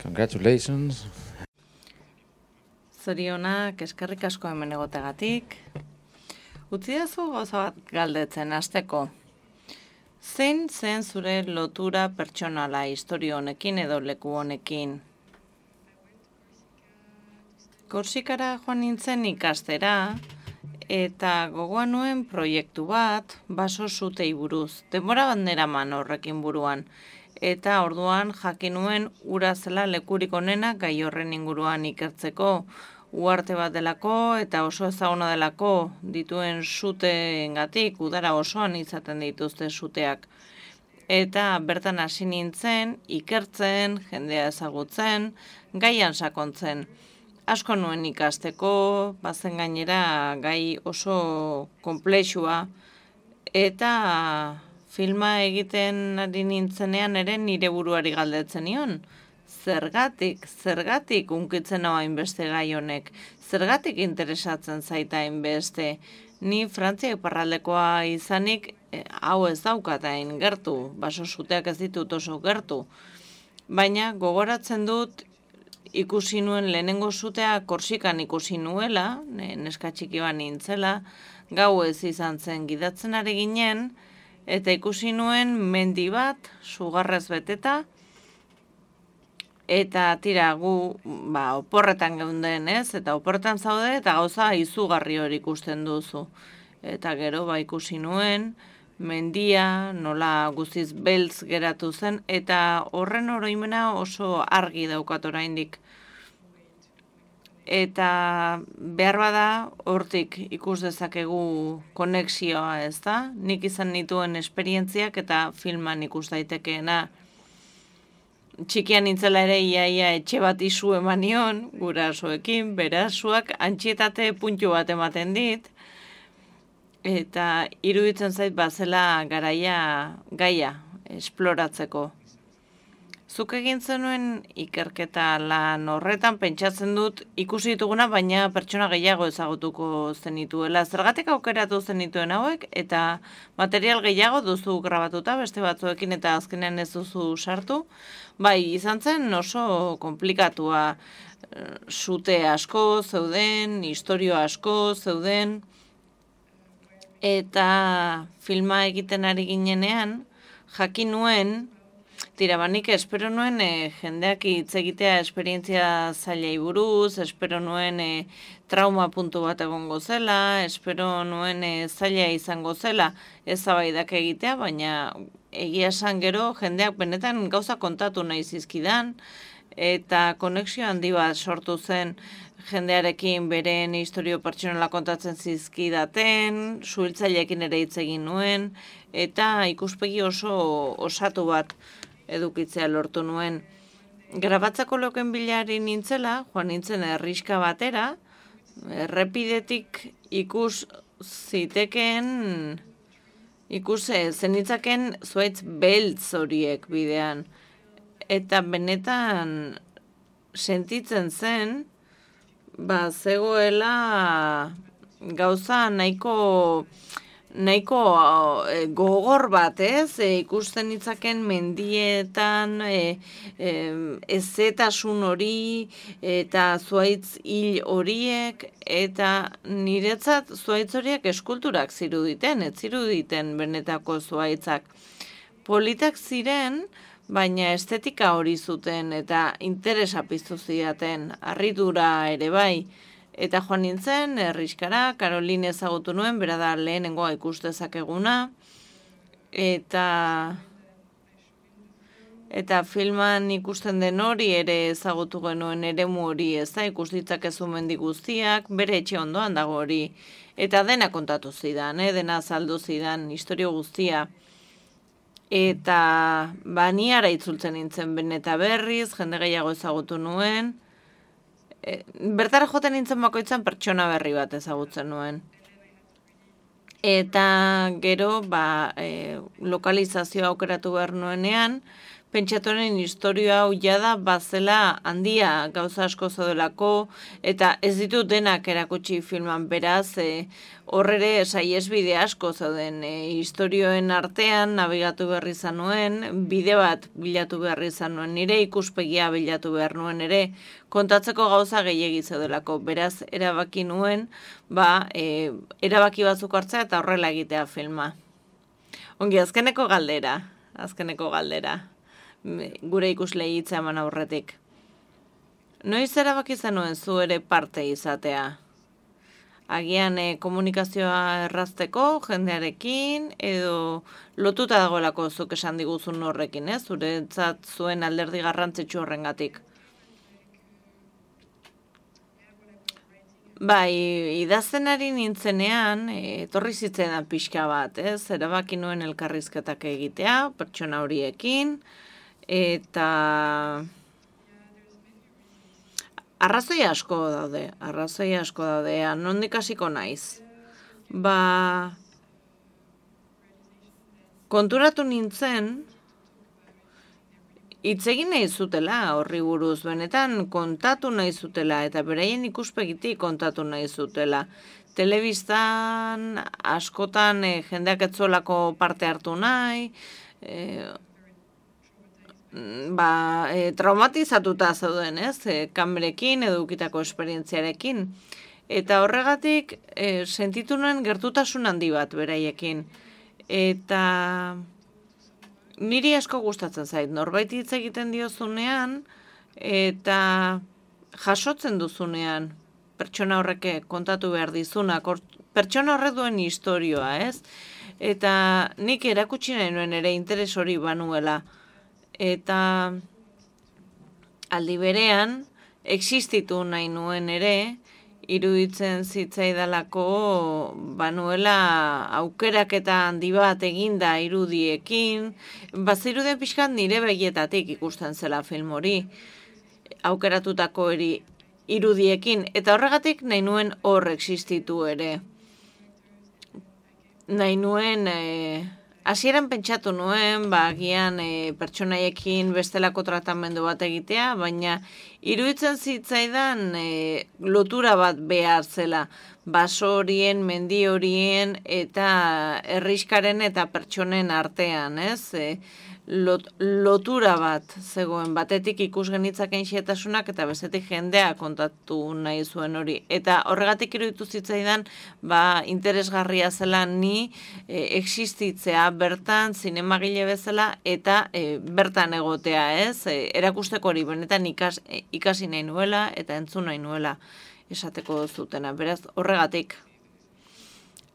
Congratulations. Zorionak, eskerrik asko hemen egotegatik. Utzidazu gauza bat galdetzen hasteko. Zein zen zure lotura pertsonala historia honekin edo leku honekin? Korsikara joan nintzen ikastera, eta gogoan nuen proiektu bat, baso zutei buruz. Denbora bat neraman horrekin buruan. Eta orduan jakin nuen ura zela lekurik onena gai horren inguruan ikertzeko, uarte bat delako eta oso ezaguna delako dituen suteengatik udara osoan izaten dituzte suteak. Eta bertan hasi nintzen, ikertzen, jendea ezagutzen, gaian sakontzen. Asko nuen ikasteko, bazen gainera gai oso konplexua, eta filma egiten ari nintzenean ere nire buruari galdetzen nion. Zergatik unkitzen hau hainbeste gai honek? Zergatik interesatzen zaita hainbeste? Ni Frantzia iparraldekoa izanik hau ez daukat hain gertu, baso suteak ez ditut oso gertu. Baina gogoratzen dut ikusi nuen lehenengo sutea Korsikan ikusi nuela, neska txiki bat nintzela, gauez izan zen gidatzen ari ginen, eta ikusi nuen mendi bat, sugarrez beteta, eta tira gu oporretan geunden ez, eta oporretan zaude, eta gauza izugarri hori ikusten duzu. Eta gero ikusi nuen, mendia, nola guztiz beltz geratu zen, eta horren oroimena oso argi daukat oraindik. Eta behar bada hortik ikus dezakegu konexioa, ez da? Nik izan nituen esperientziak eta filman ikus daitekeena. Txikian nintzela ere iaia etxe bat izu eman nion, gurasoekin, berasuak antxietate puntu bat ematen dit, eta iruditzen zait bazela gaia esploratzeko. Zuk egin zenuen ikerketa lan horretan pentsatzen dut ikusi dituguna, baina pertsona gehiago ezagutuko zenituela. Zergatik aukeratu zenituen hauek eta material gehiago duzu grabatuta beste batzuekin eta azkenean ez duzu sartu. Bai, izan zen oso komplikatua, sute asko zeuden, historio asko zeuden, eta filma egiten ari ginenean jakin nuen, banik espero nuen jendeak hitz egitea esperientzia zailei buruz, espero nuen trauma puntu bat egongo zela, espero nuen zaila izango zela eztabaidak egitea, baina egia esan gero jendeak benetan gauza kontatu nahi zizkidan, eta konexio handi bat sortu zen jendearekin beren historio pertsonala kontatzen zizkidaten, suhiltzaileekin ere hitz egin nuen, eta ikuspegi oso osatu bat edukitzea lortu nuen. Grabatzako loken bilari nintzela, joan nintzen herriska batera, errepidetik ikus zenitzaken zuaitz beltz horiek bidean. Eta benetan sentitzen zen, zegoela gauza nahiko gogor bat, ez? Ikusten ditzaken mendietan ezetasun hori eta zuaitz hil horiek, eta niretzat zuaitz horiek eskulturak ziruditen, ez ziruditen benetako zuaitzak. Politak ziren, baina estetika hori zuten eta interesa piztu zidaten, harridura ere bai. Eta joan nintzen, herriskara, Caroline ezagutu nuen, bera da lehenengoa ikus dezakeguna, eta filman ikusten den hori ere ezagutu genuen eremu hori, ez da, ikus ditzakezu mendi guztiak, bere etxe ondoan dago hori, eta dena kontatu zidan, dena azaldu zidan, historio guztia. Eta baniara itzultzen nintzen beneta berriz, jende gehiago ezagutu nuen, bertara joten nintzen bakoitzan pertsona berri bat ezagutzen nuen. Eta gero, lokalizazioa aukeratu behar nuenean, pentsatuaren historia hau jada bazela handia gauza asko zaudelako, eta ez ditut denak erakutsi filman, beraz, horrere saiesbide asko zauden historioen artean nabigatu behar izan nuen, bide bat bilatu behar izan nuen, nire ikuspegia bilatu behar nuen ere, kontatzeko gauza gehiegi zaudelako, beraz, erabaki nuen, erabaki batzuk hartzea eta horrela egitea filma. Ongi, azkeneko galdera. Gure ikuslei hitza eman aurretik. Noiz erabaki zenuen zu ere parte izatea? Agian komunikazioa errazteko jendearekin, edo lotuta dagoelako zuk esan diguzun horrekin, ez? Zuretzat zuen alderdi garrantzitsu horrengatik. Bai, idazten ari nintzenean, etorri zitzaidan pixka bat, ez? Erabaki nuen elkarrizketak egitea, pertsona horiekin, eta arrazoi asko daude, nondik hasiko naiz. Konturatu nintzen, hitz egin nahi zutela horri buruz, benetan kontatu nahi zutela, eta beraien ikuspegitik kontatu nahi zutela. Telebistan askotan jendeak etzuelako parte hartu nahi, traumatizatuta zauden, ez? Kamerekin edo ukitako esperientziarekin. Eta horregatik sentitu nuen gertutasun handi bat beraiekin. Eta niri asko gustatzen zait, norbait hitz egiten diozunean, eta jasotzen duzunean, pertsona horrek kontatu behar dizuna, pertsona horrek duen historioa, ez? Eta nik erakutsi nahi nuen ere interes hori banuela. Eta aldi berean, existitu nahi nuen ere, iruditzen zitzaidalako banuela aukerak eta handi bat eginda irudiekin, bazirudien pixkat nire begietatik ikusten zela film hori, aukeratutako irudiekin, eta horregatik nahi nuen hor existitu ere. Nahi nuen, hasieran pentsatu nuen, agian pertsonaiekin bestelako tratamendu bat egitea, baina iruditzen zitzaidan lotura bat behar zela, baso horien, mendi horien eta herriskaren eta pertsonen artean, ez? Lotura bat zegoen, batetik ikus genitzaken xetasunak eta bestetik jendea kontatu nahi zuen hori. Eta horregatik iruditu zitzaidan, interesgarria zela ni existitzea bertan, zinemagile bezala, eta bertan egotea, ez? Erakusteko hori benetan ikasi nahi nuela eta entzun nahi nuela esateko zutena. Beraz, horregatik.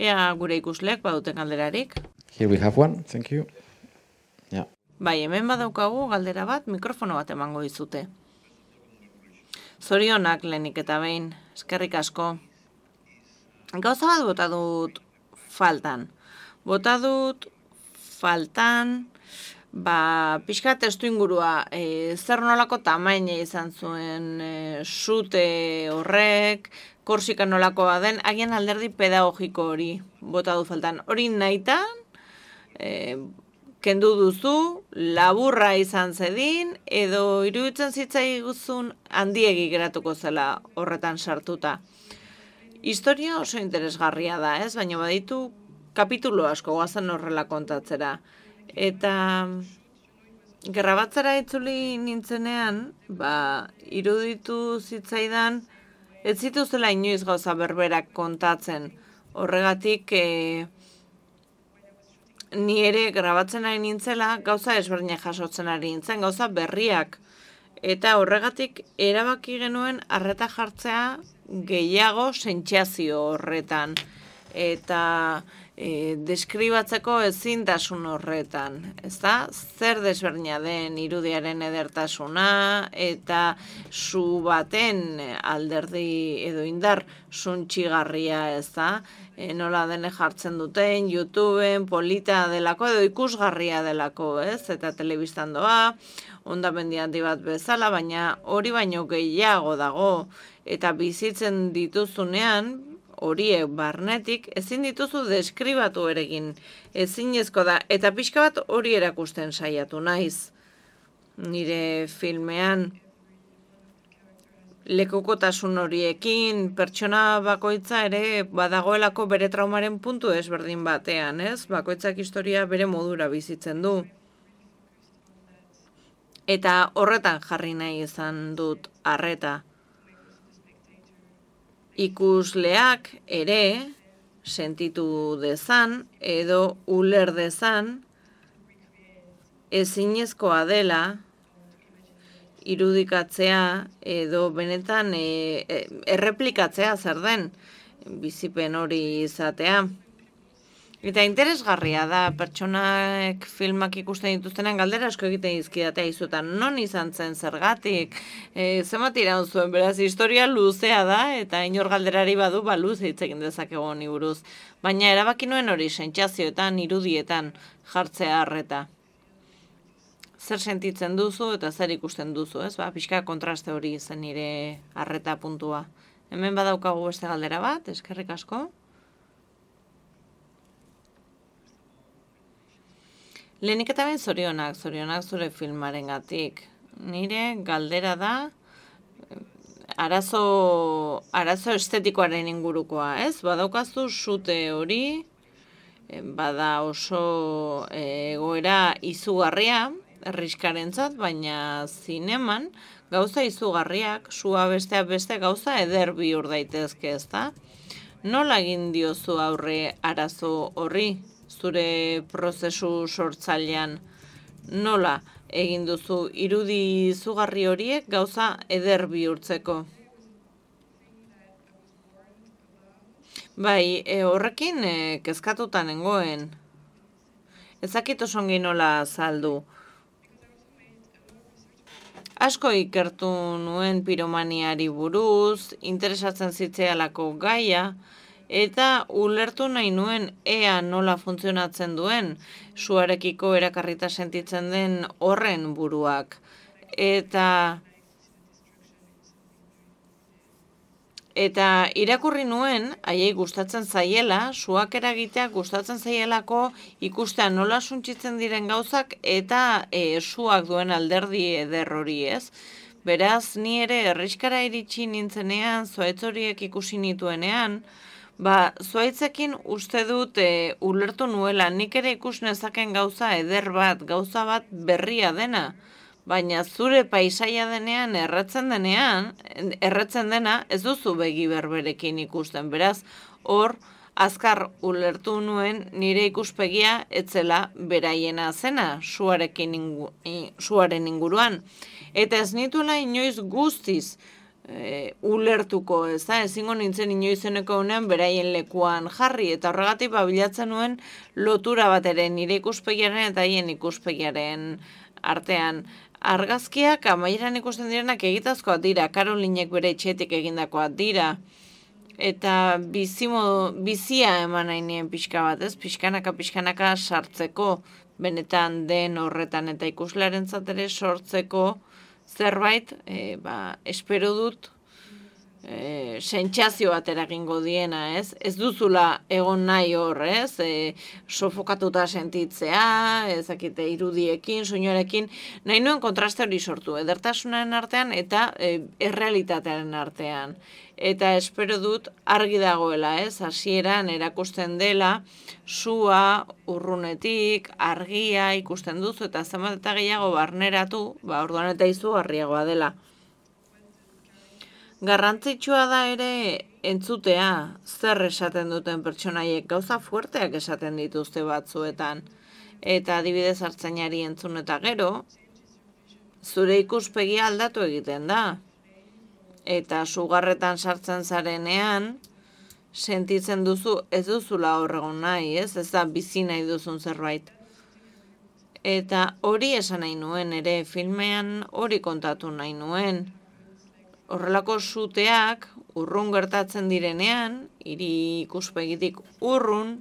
Ea gure ikusleak baduten galderarik. Here we have one, thank you. Yeah. Bai, hemen badaukagu galdera bat, mikrofono bat emango dizute. Zorionak lehenik eta behin, eskerrik asko. Gauza bat bota dut faltan. Pixka testu ingurua, zer nolako tamaina izan zuen sute horrek, Korsika nolakoa den, agian alderdi pedagogiko hori bota du faltan. Hori nahitan, kendu duzu, laburra izan zedin, edo iruditzen zitzaiguzun handiegi geratuko zela horretan sartuta. Historia oso interesgarria da, ez? Baina baditu kapitulo asko goazen horrela kontatzera. Eta grabatzera itzuli nintzenean, iruditu zitzaidan, ez zituzela inoiz gauza berberak kontatzen. Horregatik, ni ere grabatzen ari nintzela, gauza ezberdinak jasotzen ari nintzen, gauza berriak. Eta horregatik erabaki genuen arreta jartzea gehiago sentsazio horretan. Eta deskribatzeko ezintasun horretan, ezta? Zer desberdina den irudiaren edertasuna eta zu baten alderdi edo indar suntxigarria, ezta? Nola dene jartzen duten, YouTubeen, polita delako edo ikusgarria delako, ez? Eta telebistan doa, hondamendi handi bat bezala, baina hori baino gehiago dago eta bizitzen dituzunean, horiek barnetik, ezin dituzu deskribatu eregin, ezinezko da, eta pixka bat hori erakusten saiatu naiz. nire filmean. Lekukotasun horiekin, pertsona bakoitza ere badagoelako bere traumaren puntu ezberdin batean, ez? Bakoitzak historia bere modura bizitzen du. Eta horretan jarri nahi izan dut arreta. Ikusleak ere sentitu dezan edo uler dezan ezinezkoa dela irudikatzea edo benetan erreplikatzea zer den bizipen hori izatea. Eta interesgarria da, pertsonak filmak ikusten dituztenan galdera asko egiten dizkidatea izutan. Non izan zen zergatik, zenbat iraun zuen, beraz, historia luzea da, eta inor galderari badu, luze hitz egin dezakegu honi buruz. Baina erabaki nuen hori sentsazioetan, irudietan jartzea arreta. Zer sentitzen duzu eta zer ikusten duzu, ez? Pixka kontraste hori zen nire arreta puntua. Hemen badaukagu beste galdera bat, eskerrik asko. Lehenik eta behin zorionak zure filmarengatik. Nire galdera da arazo estetikoaren ingurukoa, ez? Badaukazu sute hori, bada oso egoera izugarria, erriskarentzat, baina zineman gauza izugarriak, sua besteak beste gauza eder bihur daitezke, ezta? Nola egin diozu aurre arazo horri, zure prozesu sortzailean? Nola egin duzu irudi izugarri horiek gauza eder bihurtzeko? Bai, horrekin kezkatuta nengoen. Ezakit osongi nola azaldu. Asko ikertu nuen piromaniari buruz, interesatzen zitzealako gaia, eta ulertu nahi nuen ea nola funtzionatzen duen, suarekiko erakarrita sentitzen den horren buruak. Eta irakurri nuen, haiei gustatzen zaiela, suak eragitea gustatzen zaielako ikustea nola suntsitzen diren gauzak eta suak duen alderdi eder hori, ez? Beraz, ni ere herriskara iritsi nintzenean, zuaitz horiek ikusi nituenean, zuaitzekin uste dut ulertu nuela, nik ere ikus nezaken gauza eder bat, gauza bat berria dena. Baina zure paisaia denean, erretzen dena, ez duzu begi berberekin ikusten. Beraz, hor, azkar ulertu nuen nire ikuspegia etzela beraiena zena, suaren inguruan. Eta ez nituela inoiz guztiz ulertuko, ez da? Ezingo nintzen inoizeneko honean beraien lekuan jarri, eta horregatik bilatzen nuen lotura bat ere nire ikuspegiaren eta haien ikuspegiaren artean. Argazkiak amaieran ikusten direnak egitazkoak dira, Karolinek bere etxetik egindakoak dira, eta bizia eman nahi nien pixka bat, ez? Pixkanaka sartzeko, benetan den horretan, eta ikuslearen ere sortzeko zerbait, espero dut, sentsazio bat eragingo diena, ez? Ez duzula egon nahi hor, ez? Sofokatuta sentitzea, ezakite irudiekin, soinuarekin, nahi nuen kontraste hori sortu, edertasunaren artean eta errealitatearen artean. Eta espero dut argi dagoela, ez? Hasieran erakusten dela, sua, urrunetik, argia ikusten duzu, eta zenbat eta gehiago barneratu, orduan eta izugarriagoa dela. Garrantzitsua da ere entzutea zer esaten duten pertsonaiek, gauza fuerteak esaten dituzte batzuetan. Eta adibidez hartzainari entzun eta gero, zure ikuspegia aldatu egiten da. Eta sugarretan sartzen zarenean, sentitzen duzu ez duzula horregon nahi, ez da bizi nahi duzun zerbait. Eta hori esan nahi nuen ere, filmean hori kontatu nahi nuen. Horrelako suteak urrun gertatzen direnean, hiri ikuspegitik urrun,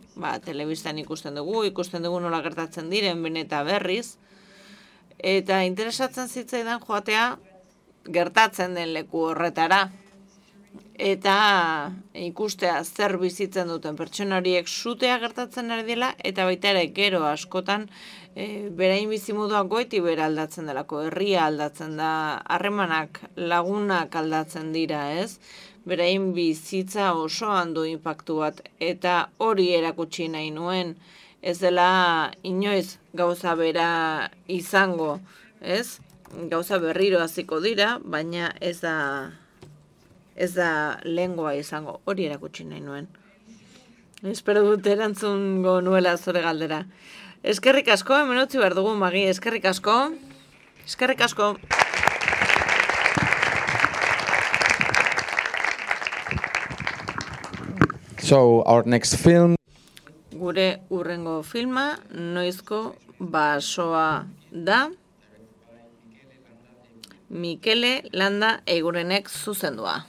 telebistan ikusten dugu nola gertatzen diren beneta berriz, eta interesatzen zitzaidan joatea gertatzen den leku horretara. eta ikustea zer bizitzen duten pertsona horiek sutea gertatzen ari dela, eta baita ere gero askotan berain bizimodua goiti bera aldatzen delako, herria aldatzen da, harremanak, lagunak aldatzen dira, ez? Berain bizitza osoan du inpaktu bat, eta hori erakutsi nahi nuen, ez dela inoiz gauza bera izango, ez? Gauza berriro hasiko dira, baina ez da lehengoa izango, hori erakutsi nahi nuen. Espero dut erantzungo nuela zure galdera. Eskerrik asko, hemen utzi behar dugu, Magi, eskerrik asko. Eskerrik asko. So, our next film. Gure urrengo filma, Noizko basoa da. Mikele Landa Eigurenek zuzendua.